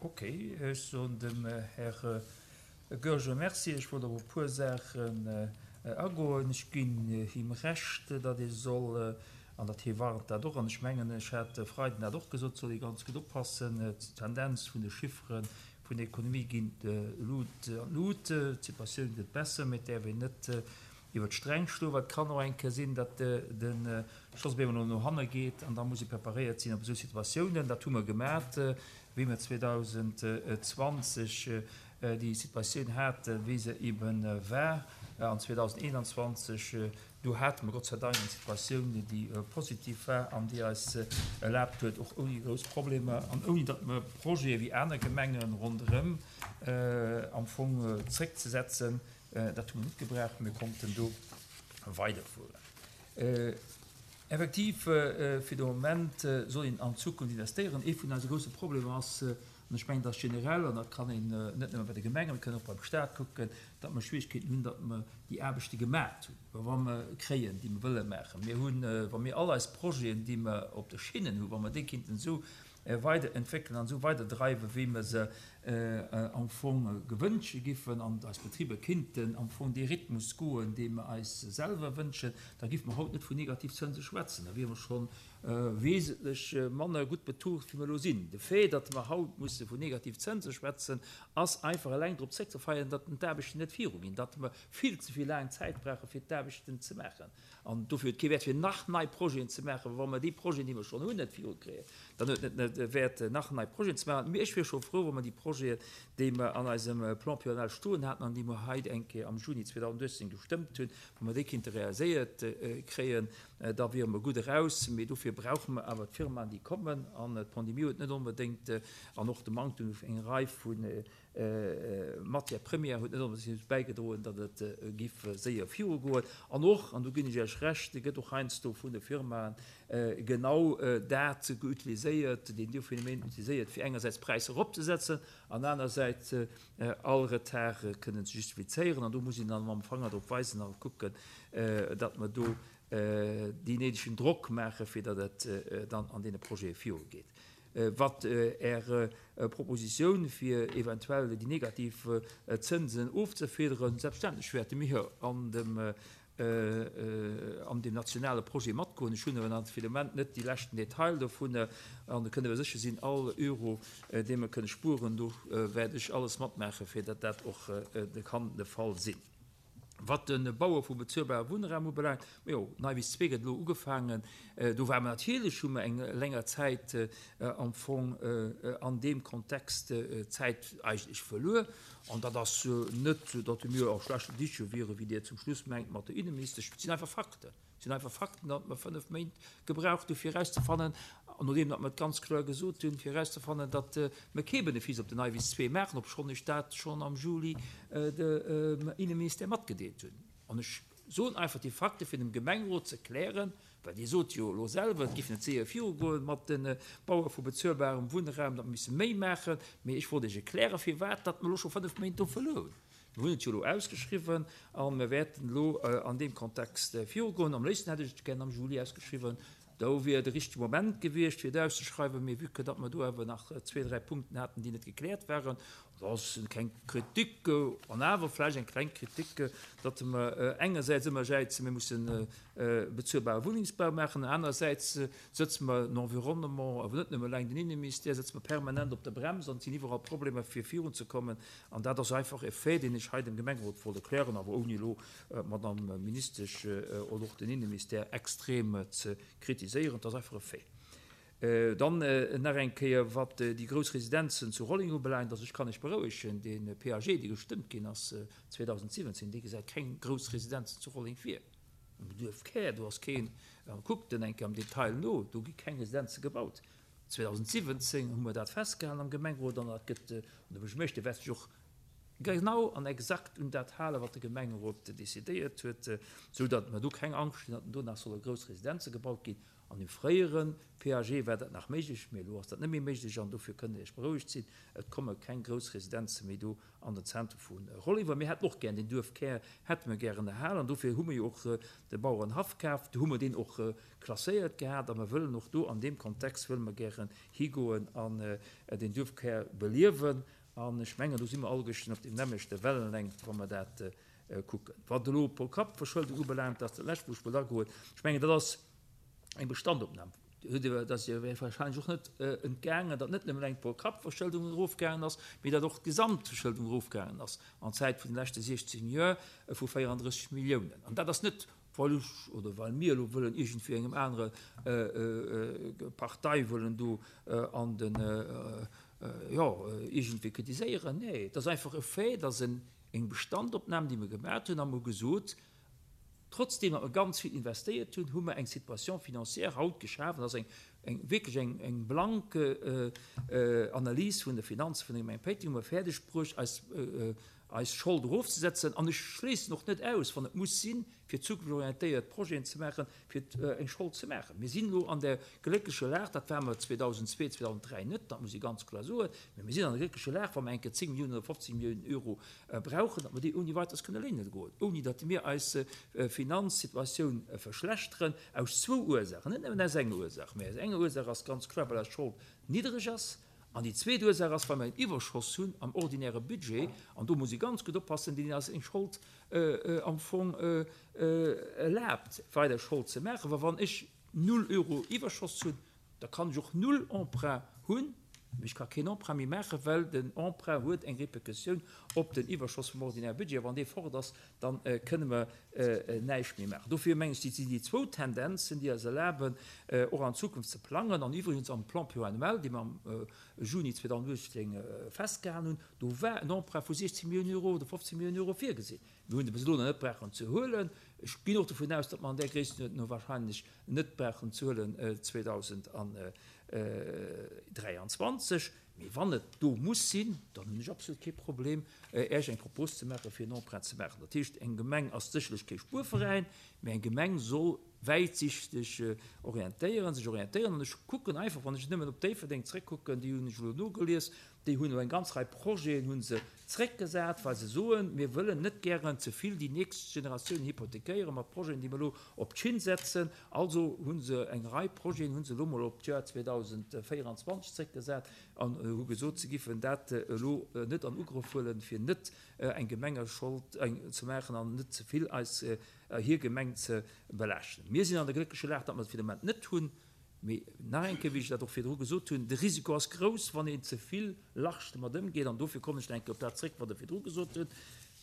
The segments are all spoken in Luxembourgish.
Ok, ech soen dem Här Goergen Merci. Ech wollt op e puer Saachen agoen. Ech ginn him Recht, datt ee soll, an datt hie warnt dat och, an ech mengen, ech hat e Freiden dat och gesot, soll ee ganz gutt oppassen, d'Tendenz vun de Chiffere vun der Ekonomie ginn an d'Lut, d'Situatioun gëtt besser, mee et däerf een net iwwer d'Sträng schloen, well et kann och eng Kéier sinn, datt de Schoss op eemol no hanne geet an da muss ee preparéiert sinn op esou Situatiounen. Dat hu mer gemat, wéi mer 2020 déi Situatioun haten, wéi se eebe war, an 2021, do hate mer Gott sei Dank eng Situatioun, déi positiv war an déi eis erlaabt huet, och ouni grouss Problemer an ouni datt mer Projete wéi aner Gemenge ronderëm am Fong zréckzesetzen, dat hu mer net gebraucht, mir konnten do weiderfueren. Effektiv, fir de Moment soll een an d'Zukunft investéieren. Ee vun eise grousse Problemer ass, An ech mengen, dass generell, an dat kann een net nëmme bei de Gemengen, mir kënnen och beim Stat kucken, datt mer Schwierigkeeten hunn, datt mer déi Aarbechte gemaat hunn, wa mer kréien, déi mer wëlle maachen. Mir hunn, wa mir all eis Projeten, déi mer op de Schinnen hunn, wa mer déi kinnten esou weiderentwéckelen an esou weiderdreiwen, wéi mer se am Fong gewënsche giffen, an eis Betriber kinnten am Fong dee Rhythmus goen, dee mer eis selwer wënschen, da giffe mer haut net vun Negativzënse schwätzen, da wiere mer schonn wesentlech manner gutt betucht wéi mer elo sinn. De Fait, datt mer haut musse vun Negativzënse schwätzen, ass einfach eleng drop zréckzefeieren, datt d'Aarbechten net viruginn, datt mer vill ze vill laang Zäit brauche fir d'Aarbechten ze maachen. An dofir huet et kee Wäert fir nach nei Projeten ze maachen, wa mer déi Projeten, déi mer schonn hunn, net virukréien. Dann huet et net de Wäert nach nei Projeten ze maachen. Mee ech wier scho frou, wa mer déi Projeten, déi mer an eisem Plan pluriannuel stoen haten an déi mer hei eng Kéier am Juni 2018 gestëmmt hunn, wa mer déi kinnte realiséiert kréien, Da wiere mer gutt eraus. Mee dofir brauche mer awer d'Firmaen, déi kommen. An d'Pandemie huet net onbedéngt, an och de Manktem u enger Rei vu Matières premières huet net onbedéngt dozou bäigedroen, datt et giff séier virugoen. An och, an do ginn ech Iech Recht, gëtt och heiansdo vun de Firmaen genau dat utiliséiert, deen do Phänomen utiliséiert, fir engersäits d'Präisser eropzesetzen an anersäits all Retard kënnen ze justifizéieren. An do muss een dann mam Fanger drop weisen a kucken, datt mer do deen néidegen Drock maachen, fir datt et dann an deene Projete virugeet. Wat Är Propositioun, fir eventuell déi negativ Zënsen ofzefiederen, selbstverständlech wäerte mir an dem an deem nationale Projet matgoen. Ech hunn awer nach fir de Moment net déi leschten Detail dovun. An do kënnt Der sécher sinn, all Euro, dee mer kënne spueren, do wäert ech alles matmaachen, fir datt dat och kann de Fall sinn. Wat de Baue vu bezuelbare Wunnraum ubelaangt, majo, Neiwiss 2 gëtt elo ugefaangen. Do ware mer natierlech, hu mer eng länger Zäit am Fong an deem Kontext Zäit eigentlech verluer. An dat ass net, datt mir a schlechten Diche wieren, wéi Dir zum Schluss mengt mat der Inneministesch. Et sinn einfach Fakten. Et sinn einfach Fakten, datt mer 5 Méint gebraucht hu fir erauszefannen, an nodeem datt mer et ganz kloer gesot hunn, fir erauszefannen, datt mer kee Benefice op den Neiwiss 2 maachen, obschonn ech dat schonn am Juli dem Inneministère matgedeelt hunn. An ech soen einfach déi Fakte fir dem Gemengerot ze klären, well Dir sot jo elo selwer, et géif net séier virugoen mat de Baue vu bezuelbarem Wunnraum, datt mer misse méi maachen. Mee ech wollt Iech erklären, firwat datt mer elo scho 5 Méint do verluer hunn. Mir hunn et jo elo ausgeschriwwen a mir wäerten elo an deem Kontext virugoen. Am léifsten hätt ech et gären am Juli ausgeschriwwen. Do wier de richtege Moment gewiescht, fir et auszeschreiwen. Mee vue que datt mer do awer nach zwee, dräi Punkten haten, déi net gekläert waren, dat ass keng Kritik, an awer vläicht eng kleng Kritik, datt mer engersäits ëmmer jäizen, mir mussen bezuelbare Wunnengsbau maachen, anerersäits sëtze mer den Environnement, awer net nëmme eleng den Inneministère, sëtze mer permanent op der Brems an et sinn iwwerall Problemer, fir virunzekommen. An dat ass einfach e Fait, deen ech hei dem Gemengerot wollt erklären, awer ouni elo d'Madame Ministesch oder och den Inneministère extrem ze kritiséieren. Et ass einfach e Fait. Dann nach eng Kéier, wat déi grouss Residenzen zu Rolleng ubelaangt. Also ech kann Iech berouegen, dee PAG, dee gestëmmt ginn ass 2017, dee gesäit keng grouss Residenzen zu Rolleng vir. Am Duerfkär, do ass keen, kuckt en eng Kéier am Detail no, do gi keng Residenze gebaut. 2017 hu mer dat festgehalen am Gemengerot an dat gëtt, an de Buergermeeschter wäert sech och genau an exakt un dat halen, wat de Gemengerot decidéiert huet, esou datt mer do keng Angscht hunn, datt do nach solle grouss Residenze gebaut ginn. An dem fréiere PAG war dat nach méiglech, mee elo ass dat net méi méiglech an dofir kënnt Der Iech berouegt sinn, et komme keng grouss Residenze méi do an den Zentrum vu Rolleng, well mir hätten och gären deen Duerfkär hätte mir gären erhalen an dofir hu mir jo och de Bauerenhaff kaf, do hu mer deen och klasséiert gehat a mer wëllen och do an deem Kontext wëlle mer gären higoen an deen Duerfkär beliewen an ech mengen do si mer alleguerten op deem nämmlechte Wellenlängt, wa mer dat kucken. Wat elo d'Pro-Kapp-Verschëldung ubelaangt, dat ass dat lescht wou ech wollt agoen, ech mengen dat ass eng Bestandopnam. Dat ass Iech wahrscheinlech och net entgaangen, datt net nëmmen eng Pro-Kapp-Verschëldung erofgaangen ass, mee datt och d'Gesamtverschëldung erofgaangen ass an Zäit vun de leschte 16 Joer vu 34 Milliounen. An dat ass net, well ech oder well mir elo wëllen iergendwéi engem anere Partei wëllen do an de, jo, iergendwéi kritiséieren. Nee, et ass einfach e Fait, datt eng Bestandopnam, déi mir gemaat hunn, a mer hu gesot, Trotzdem datt mer ganz vill investéiert hunn, hu mer eng Situation financière haut geschaf, an dat ass eng, eng, wierklech eng, eng blank Analys vun de Finanze vun der Gemeng Péiteng, hu mer fäerdeg bruecht, eis, eis Schold erofzesetzen. An ech schléissen och net aus, wann et muss sinn, fir zukunftsorientéiert Projeten ze maachen, fir eng Schold ze maachen. Mir sinn elo an der glécklecher Lag, dat ware mer 2002, 2003 net, dat muss ee ganz kloer soen, mä mir sinn an der glécklecher Lag, wa mer eng Kéier 10 Milliounen oder 15 Milliounen Euro brauchen, datt mer déi ouni Weiteres kënne léine goen, ouni datt mir eis Finanzsituatioun verschlechteren, aus zwou Ursaachen, net nëmmen aus enger Ursaach, mä aus enger Ursaach ass ganz kloer, well eis Schold niddereg ass, an déi zweet Ursaach ass, well mer en Iwwerschoss hunn am ordinäre Budget, an do muss ee ganz gutt oppassen, deen eis eng Schold am Fong erlaabt, weider Schold ze maachen, well wann ech null Euro Iwwerschoss hunn, Da kann ech och null Emprunt hunn, mee ech ka keen Emprunt méi maachen, well den Emprunt huet eng Répercussioun op den Iwwerschoss vum ordinäre Budget. A wann dee fort ass, da kënne mer näischt méi maachen. Dofir mengen ech, sinn déi zwou Tendenzen, déi eis erlaben, och an Zukunft ze plangen. An iwwregens am Plan pluriannuel, dee mer am Juni 2018 festgehalen hunn, do war en Emprunt vu 16 Milliounen Euro oder 15 Milliounen Euro virgesinn. Mir hunn se bis elo nach net brauchen ze huelen. Ech ginn och dovun aus, datt mer an där Gréisstenuerdnung wahrscheinlech net brauchen ze huelen 2023. Mee wann et do muss sinn, dann hunn ech absolut kee Problem, Äech eng Propos ze maachen, fir en Emprunt ze maachen. Dat heescht, eng Gemeng ass sécherlech kee Spuerveräin, mee eng Gemeng soll wäitsichteg orientéieren, sech orientéieren. An ech kucken einfach, wann ech nëmmen op Déifferdeng zréckkucken, déi hunn ech elo nogelies, Déi hunn elo eng ganz Rei Projeten hu se zréckgesat, well se soen, mir wëllen net gären ze vill déi nächst Generatiounen hypothekéiere mat Projeten, déi mer elo op d'Schinn setzen. Also hu se eng Rei Projeten hu se elo mol op d'Joer 2024 zréckgesat an hu gesot, se giffen dat elo net an Ugrëff huelen, fir net eng Gemengeschold ze maachen an net ze vill eis hir Gemeng ze belaaschten. Mir sinn an der gléckleche Lag, datt mer et fir de Moment net hunn. Mee nach eng Kéier, wéi ech dat och virdru gesot hunn, de Risiko ass grouss, wann een ze vill large domat ëmgeet. An dofir kommen ech nach eng Kéier op dat zréck, wat Der virdru gesot hutt,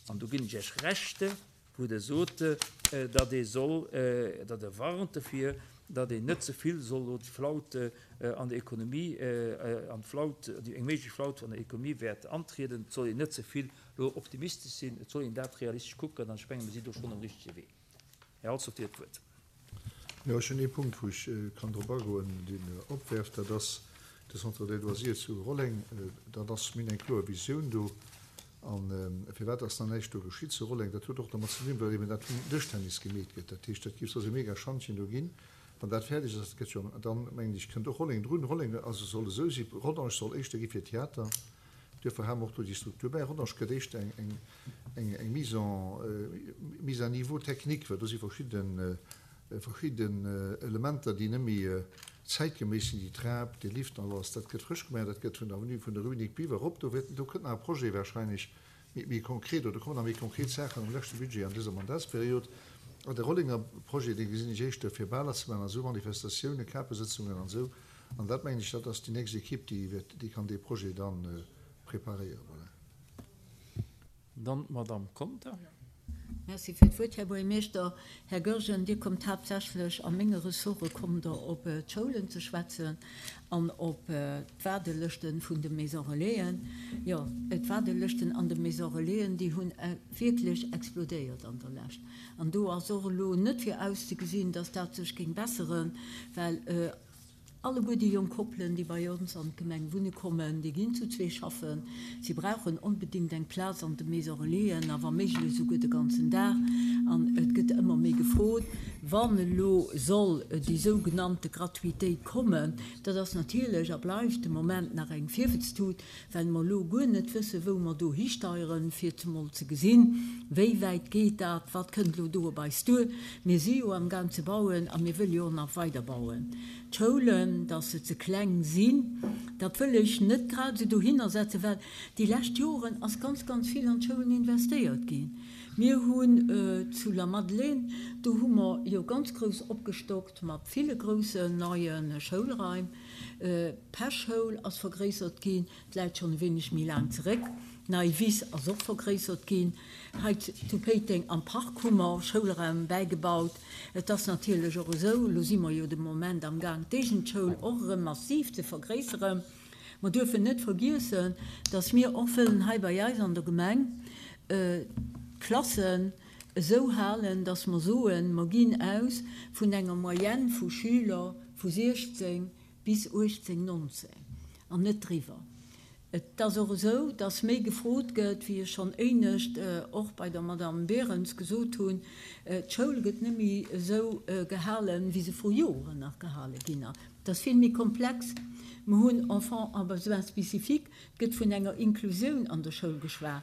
an do ginn ech Iech Recht, wou Der sot, datt ee soll, datt Der warnt dofir, datt een net ze vill soll elo d'Flaute an der Ekonomie, an d'Flaut, eng méiglech Flaute an der Ekonomie wäert antrieden. Et soll een net ze vill elo optimistesch sinn, et soll een dat realistesch kucken. An ech menge mir sinn do schonn um richtege Wee. Här Althoff, Dir hutt d'Wuert. Jo, ech hunn ee Punkt, wou ech kann drop agoen, deen opwerft, dat ass de Centre des loisirs zu Rolleng. Dat ass, mir hunn eng kloer Visioun do. A firwat ass nach näischt do geschitt zu Rolleng? Dat huet och domat ze dinn, well eben dat vum Dëschtennis gemeet gëtt. Dat heescht, dat géif soss e mega Schantjen do ginn. Wann dat fäerdeg ass, dat gëtt jo, dann, mengen ech, kënnt och Rolleng drun. Rolleng, also soll esou si, Rodange soll éischter gi fir Theater. Duerfir hate mer och do déi Struktur bäi. Rodange gëtt éischter eng, eng, eng, eng Mise en, mise à niveau technique, well do si verschidden, verschidden Elementer, déi net méi zäitgeméiss sinn, déi Trap, dee Lift an alles, dat gëtt frësch gemaach, dat gëtt vun der Avenue vun der Rue Nic Biver erop. Do wäert, do kënnt nach e Projet wahrscheinlech méi, méi konkret, oder do kommen nach méi konkret Saachen am leschte Budget an dëser Mandatsperiod. An de Rollenger Projet, dee gesinn ech éischter fir Baler ze maachen an esou Manifestatiounen, Kapesëtzungen an esou. An dat mengen ech, dat ass déi nächst Equipe, déi wäert, déi kann dee Projet da preparéieren. Voilà. Dann d'Madame Conter. Merci fir d'Wuert, Här Buergermeeschter. Här Goergen, Dir kommt haaptsächlech a menge Ressorte kommt Der op d'Schoulen ze schwätzen an op d'Waardelëschte vun de Maison Relaisen. Jo, d'Waardelëschten an de Maison Relaisen, déi hunn wierklech explodéiert an der Lescht. An do ass och elo net virauszegesinn, dass dat sech géing besseren, well. Alleguer déi jonk Koppelen, déi bei ons an d'Gemeng wunne kommen, déi ginn zu zwee schaffen. Si brauchen onbedéngt eng Plaz an de Maison Relaisen a wa méiglech esouguer de ganzen Dag. An et gëtt ëmmer méi gefrot, wann elo soll déi sougenannte Gratuitéit kommen. Dat ass natierlech a bleift de Moment nach eng Virwëtztut, well mer elo guer net wëssen, wou mer do histeieren, fir zemol ze gesinn, wéi wäit geet dat, wat kënnt elo do op eis duer. Mir si jo amgaang ze bauen a mir wëlle jo och nach weider bauen. D'Schoulen, dass se ze kleng sinn, dat wëll ech net grad esou dohinner setzen, well déi lescht Joren ass ganz, ganz vill an d'Schoulen investéiert ginn. Mir hunn zu Lamadelaine, do hu mer jo ganz grouss opgestockt mat ville groussen neie Schoulraim. D'Pesch-Schoul ass vergréissert ginn. 't läit schonn e wéineg méi laang zeréck. Nei Wiss ass och vergréissert ginn. Hei zu Péiteng am Park hu mer Schoulraum bäigebaut. Et ass natierlech och esou, elo si mer jo de Moment am Gaang d'Éigendschoul och erëm massiv ze vergréisseren. Mer duerfen net vergiessen, dass mir och wëllen hei bei eis an der Gemeng d'Klassen esou halen, dass mer soen, mer ginn aus vun enger Moyenne vu Schüler vu 16 bis 18, 19 an net driwwer. Et ass och esou, dass méi gefrot gëtt, wéi ech schonn éinescht och bei der Madame Berens gesot hunn, d'Schoul gëtt net méi esou gehalen, wéi se vru Joren nach gehale ginn ass. Et ass vill méi komplex. Mer hunn Enfants à besoins spécifiques, et gëtt vun enger Inklusioun an der Schoul geschwat.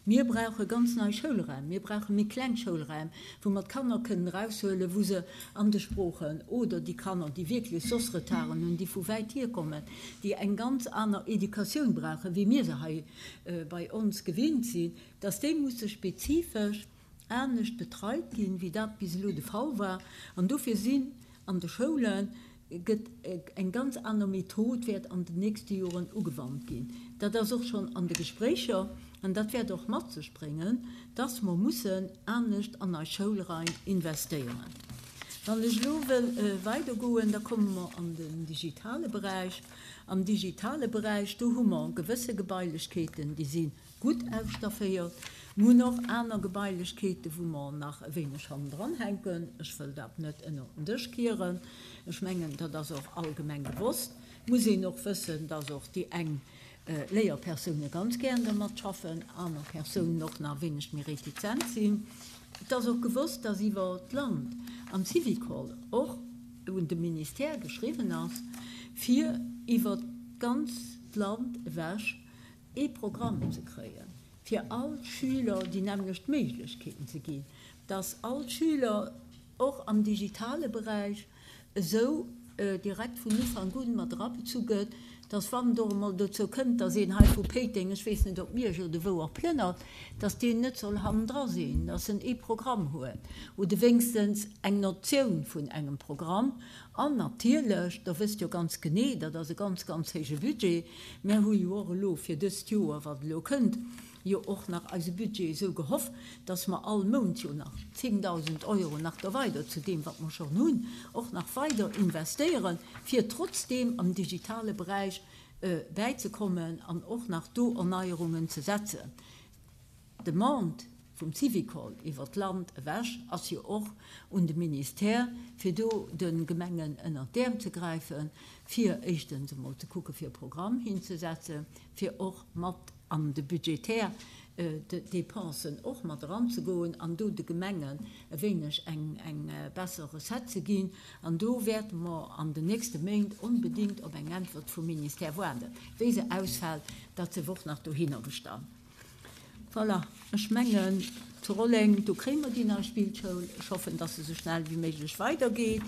Mir brauche ganz nei Schoulraim, mir brauche méi kleng Schoulraim, wou mer d'Kanner kënnen eraushuelen, wou se an de Sproochen oder déi Kanner, déi wierklech soss Retarden hunn, déi vu wäit hierkommen, déi eng ganz aner Educatioun brauchen, wéi mir se hei bei ons gewinnt sinn, dass déi musse spezifesch anescht betreit ginn, wéi dat bis elo de Fall war. An dofir sinn an de Schoule gëtt eng ganz aner Method wäert an den nächste Joren ugewannt ginn. Dat ass och schonn an de Gespréicher an dat wäert och mat sech bréngen, dass mer mussen anescht an eis Schoulraim investéieren. Wann ech elo wëll weidergoen, da komme mer an den digitale Beräich. Am digitale Beräich, do hu mer gewësse Gebailechkeeten, déi si gutt ausstafféiert. Mir hunn och aner Gebailechkeeten, wou mer nach e wéineg hannendran hänken. Ech wëll dat net ënnert den Dësch kieren. Ech mengen, dat ass och allgemeng gewosst. Et muss een och wëssen, dass och déi eng Léierpersoune ganz gären dermat schaffen, aner Persounen och nach e wéineg méi retizent sinn. Et ass och gewosst, dass iwwer d'Land am Syvicol och un de Ministère geschriwwen ass, fir iwwer d'ganzt Land ewech ee Programm ze kréien, fir all Schüler déi nämmlecht Méiglechkeeten ze ginn, dass all Schüler och am digitale Beräich esou direkt vun Ufank un mat erabezu gëtt, dass wann et och emol dozou kënnt, dass een hei vu Péiteng, ech weess net ob Miersch oder wou och, plënnert, dass deen net soll hannendra sinn, dass en ee Programm huet oder wéinstens eng Notioun vun engem Programm. An natierlech, Der wësst jo ganz genee, dat ass e ganz, ganz héije Budget, Mär hu jo och elo fir dëst Joer, wat elo kënnt, jo och nach eise Budget esou gehoff, dass mer all Mount jo nach 10.000 Euro nach do weider zu deem, wat mer schonn hunn, och nach weider investéieren, fir trotzdeem am digitale Beräich bäizekommen an och nach do Erneierungen ze setzen. D'Demande vum Syvicol iwwer d'Land ewech ass jo och un de Ministère, fir do de Gemengen ënnert d'Äerm ze gräifen, fir éischtens emol ze kucke fir e Programm hinzesetzen, fir och mat an de budgetär Dépensen och mat eranzegoen an do de Gemengen e wéineg eng besser Recette ze ginn. An do wäerte mer an den nächste Méint onbedéngt op eng Äntwert vum Ministère waarden. Wéi se ausfält, dat sief och nach dohinnergestallt. Voilà, ech mengen, zu Rolleng, do kréie mer déi nei Spillschoul. Ech hoffen, dass se esou schnell wéi méiglech weidergeet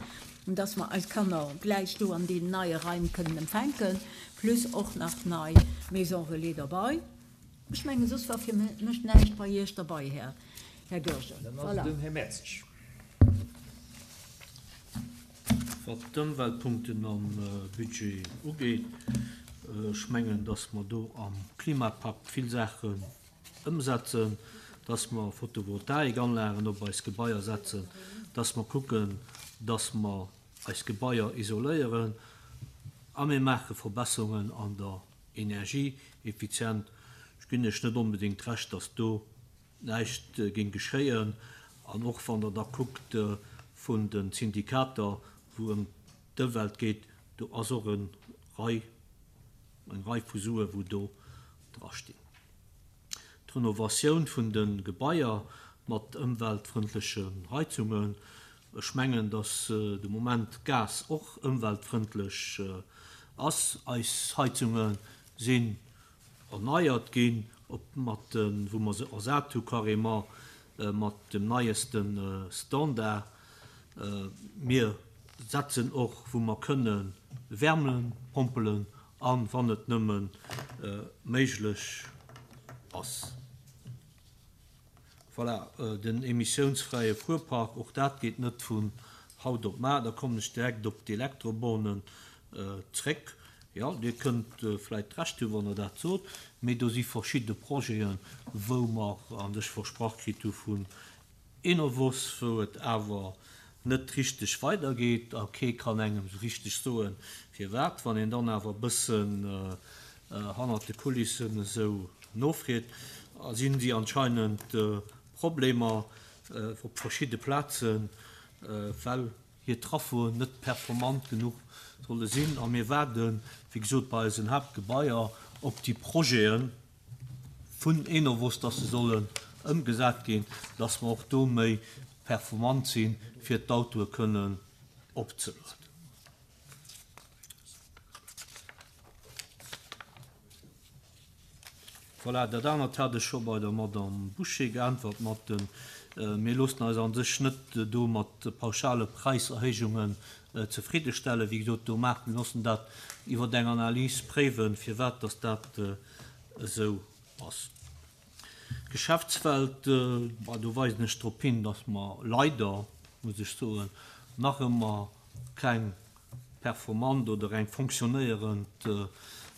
an dass mer eis Kanner gläich do an deenen neie Raim kënnen empfänken, plus och nach nei Maison relais derbei. Ech mengen, soss war fir mech näischt bei Iech derbei, Här Goergen. Dann ass et um Här Mertzig. Wat d'Ëmweltpunkten am Budget ugeet, ech mengen, dass mer do am Klimapakt vill Saachen ëmsetzen, dass mer Photovoltaikanlagen op eis Gebaier setzen, dass mer kucken, dass mer eis Gebaier isoléieren a mir maache Verbesserungen an der Energieeffizient. Ech ginn lech net onbedéngt Recht, dass do näischt géing geschéien. An och wann Der da kuckt vun de Syndikater, wou ëm d'Ëmwelt geet, do. Do ass och e Rei, eng Rei vu Sue wou do drastinn. D'Renovatioun vun de Gebaier mat ëmweltfrëndlechen Heizungen, ech mengen, datt de Moment Gas och ëmweltfrëndlech ass. Eis Heizunge sinn erneiert ginn, op mat de wou mer se ersat hu carrément mat dem neieste Standard. Mir setzen och wou mer kënne Wärmepompelen an, wann et nëmme méiglech ass. Voilà, den emissiounsfräie Fuerpark, och dat geet net vun haut op mar. Da kommen ech direkt op d'Elektrobornen zréck. Jo, Dir kënnt vläicht Recht hu wann Der dat sot, mee do si verschidde Projeten, wou mer an sech versprach kritt hu vun Enovos, wou et awer net richteg weidergeet a kee kann engem esou richteg soen, firwat. Wann een dann awer e bëssen hannert de Kulissen esou nofreet, sinn si anscheinend Problemer op verschidde Plazen, well hir Traffoen net performant genuch solle sinn. A mir waarden, wéi gesot, bei eisen Haaptgebaier op déi Projeten vun Enovos, dass se sollen ëmgesat ginn, dass mer och do méi performant sinn, fir d'Autoe kënnen opzelueden. Voilà, dat anert hat ech scho bei der Madame Bouché geäntwert mat de mir loossen eis a sech net do mat pauschale Präiserhéijungen zefriddestellen. Wéi gesot, do maachen, mir loossen dat iwwer eng Analys préiwen, firwat dass dat esou ass. D'Geschäftswelt, do weisen ech drop hin, dass mer leider, muss ech soen, nach ëmmer keng performant oder eng fonctionnéierend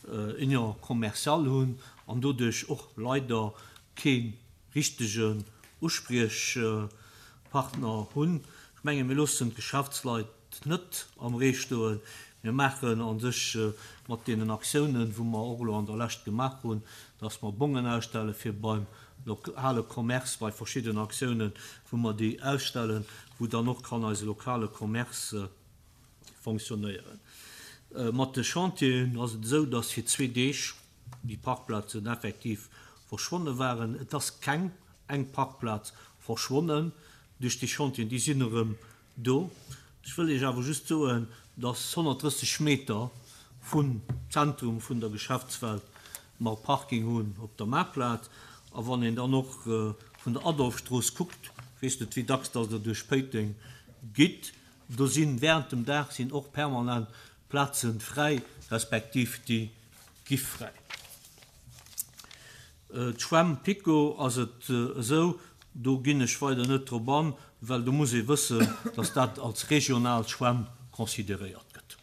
Union commerciale hunn an doduerch och leider kee richtegen Uspriechpartner hunn. Ech menge mir loossen d'Geschäftsleit net am Ree stoen. Mir maachen a sech mat deenen Aktiounen, wou mer och elo an der Lescht gemaach hunn, dass mer Bongen ausstelle fir beim lokale Commerce, bei verschidden Aktiounen, wou mer déi ausstellen, wou dann och kann eise lokale Commerce fonctionnéieren. Mat de Chantieren ass et esou, dass fir zwee Deeg déi Parkplazen effektiv verschwonne waren. Et ass keng eng Parkplaz verschwonnen duerch déi Chantieren, déi sinn erëm do. Ech wëll Iech awer just soen, dass 130 Meter vum Zentrum vun der Geschäftswelt mer Parking hunn op der Maartplaz. A wann een dann och vun der Adolphstrooss kuckt, ech weess net wéi dacks dass Der duerch Péiteng gitt, do sinn während dem Dag sinn och permanent Plaze fräi, respektiv déi gi fräi. D'Schwämm PiKo ass et esou, do ginn ech weider net drop an, well do muss ee wëssen, dass dat als regional Schwämm consideréiert gëtt.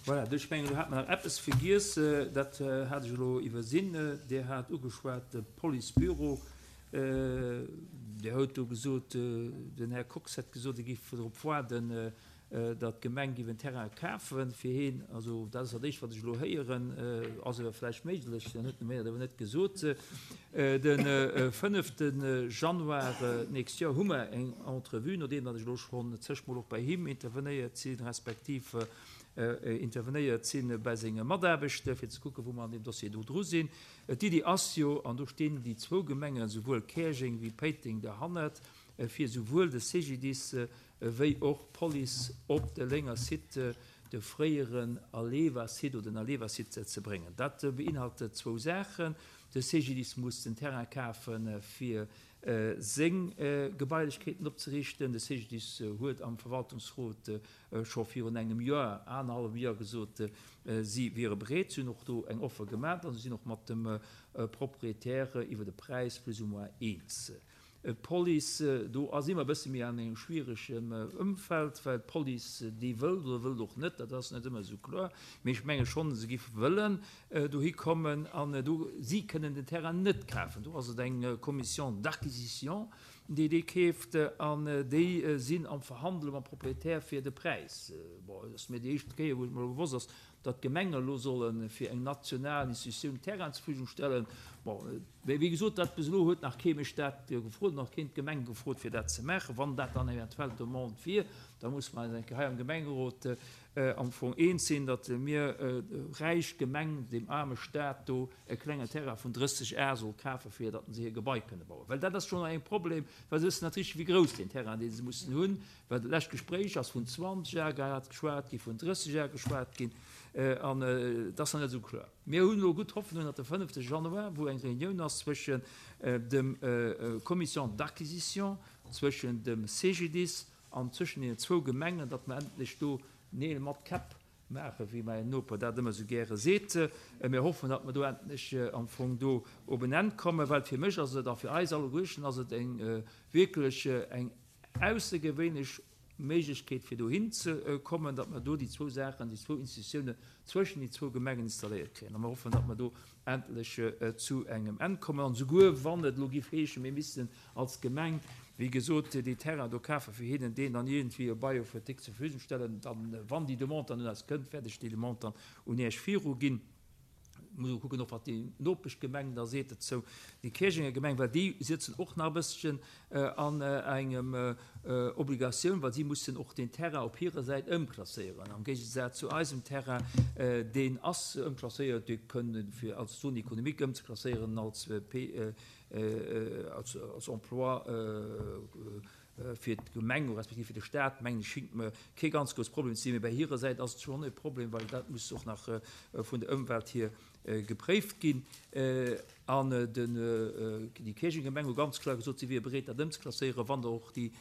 Voilà, ech mengen, do hat mer nach eppes vergiess, dat hat ech elo iwwersinn. Dir hat ugeschwat de Policebüro. Dir hutt do gesot, den Här Kox hätt gesot, e géif drop waarden, datt d'Gemeng géif en Terrain kafe fir heen. Also dat ass dat Éischt, wat ech elo héieren. Ass awer vläicht méiglech, dann huet en mir dat awer net gesot. De fënnefte Januar d'nächst Joer hu mer eng Entrevue, nodeem datt ech elo schonn zéchmol och bei him intervenéiert sinn, respektiv intervenéiert si bei senge Mataarbechter, fir ze kucken, wou mer an deem Dossier do dru sinn. D'Iddi ass jo, an do stinn déi zwou Gemengen, souwuel Käerjeng wéi Péiteng, derhannert, fir souwuel de CGDIS wéi och d'Police op de Lénger Site, de fréieren Aleva-Site oder den Aleva-Site ze bréngen. Dat beinhaltet zwou Saachen, De CGDIS muss den Terrain kafen, fir seng Gebailechkeeten opzeriichten. De CGDIS huet am Verwaltungsrot scho virun engem Joer, anerhallwem Joer gesot, si wiere bereet. Si hunn och do eng Offer gemaach a si sinn och mat dem Propriétaire iwwer de Präis plus ou moins eens. D'Police, do si mer e bësse méi an engem schwieregem Ëmfeld, well d'Police déi wëllt oder wëllt och net, dat ass net ëmmer esou kloer, mee ech menge schonn, se giff wëllen dohi kommen an do, si kënnen den Terrain net kafen, do ass et eng Commission d'acquisition, déi dee keeft an déi sinn am Verhandele mam Propriétaire fir de Präis. Bon, et ass mir déi éischt Kéier, wou et mer elo bewosst ass. Datt d'Gemenge elo solle fir eng national Institutioun Terrain zur Verfügung stellen, bon, mä wéi gesot, dat bis elo huet nach kee mech dat gefrot, nach keen d'Gemeng gefrot fir dat ze maachen. Wann dat dann eventuell d'Demande wier, da musse mer eis eng Kéier hei am Gemengerot am Fong eens sinn, datt mir, räich Gemeng, deem aarme Stat do e klengen Terrain vun 30 Ar soll kafen, fir datt se hir Gebai kënne bauen. Well dat ass schonn eng Problem, well se wëssen net richteg, wéi grouss deen Terrain, dee se mussen hunn, Well dat lescht Gespréich ass vun 20 Ar geschwat ginn, vun 30 Ar geschwat ginn, an et ass nach net esou kloer. Mir hunn elo gutt Hoffnung, datt de fënnefte Januar, wou eng Reunioun ass zwëschen dem Commission d'acquisition, zwëschen dem CGDIS an zwëschen deenen zwou Gemengen, datt mer endlech do Neel mat Käpp maachen, wéi mäin Noper dat ëmmer esou gäre seet. Mir hoffen, datt mer do endlech am Fong do op en Enn kommen, well fir mech ass et a fir eis alleguerten ass et eng wierklech eng aussergewéinlech Méiglechkeet fir dohin ze kommen, datt mer do déi zwou Saachen, déi zwou Institutiounen zwëschen déi zwou Gemengen installéiert kréien. A mer hoffen, datt mer do endlech zu engem Enn kommen. An esouguer wann et elo géif heeschen, mir missten als Gemeng, wéi gesot, déi Terrain do kafen, fir hinnen deen dann iergendwéi e Bail für déck zur Verfügung stellen, dann, wann déi Demande dann un eis kënnt, wäert ech déi Demande dann un Iech viruginn. Muss och kucken, och wat déi Nopeschgemeng da seet dozou, déi Käerjenger Gemeng, well déi sëtzen och nach e bësschen an engem Obligatioun, well si mussen och deen Terrain op hirer Säit ëmklasséieren, am Géigesaz zu eisem Terrain, deen ass ëmklasséiert, dee kënne fir als Zone économique ëmzeklasséieren, als P, als Emploi. Fir d'Gemeng respektiv fir de Staat, mengen ech, schingt mer kee ganz grouss Problem ze sinn. Mee bei hirer Säit ass et schonn e Problem, well dat muss och nach vun der Ëmwelt hier gepréift ginn. An déi Käerjeng Gemeng hu ganz kloer gesot, si wiere bereet, dat ëmzeklasséieren, wann da och déi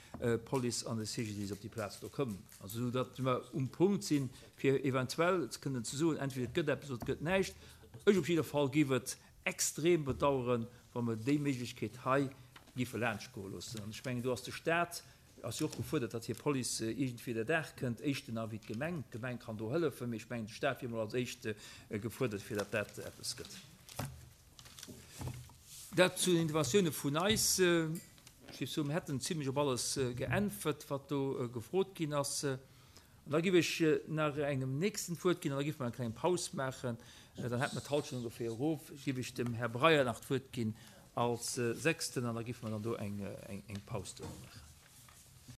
Police an de CGDIS op déi Plaz do kommen. Also esou datt mer um Punkt sinn, fir eventuell kënnen ze soen, entweder et gëtt eppes oder et gëtt näischt. Ech op jidder Fall géif et extrem bedauern, wa mer déi Méiglechkeet hei géife laanschtgoe loossen. An ech mengen, do ass de Stat ass jo och gefuerdert, datt hir Police iergendwéi der Dag kënnt, éischter nach wéi d'Gemeng. D'Gemeng kann do hëllefen, mee ech mengen, de Stat wier emol als éischt gefuerdert, fir datt dat eppes gëtt. Dat zu den Interventioune vun eis. Ech géif soen, mir hätten zimlech op alles geäntwert, wat do gefrot ginn ass. An da giff ech nach engem Nächsten d'Wuert ginn an da giffe mer eng kleng Paus maachen. Dann hätte mer d'Halschent ongeféier erof. Giff ech dem Här Breyer nach d'Wuert ginn als Sechsten an da giffe mer dann do eng Paus duerno maachen.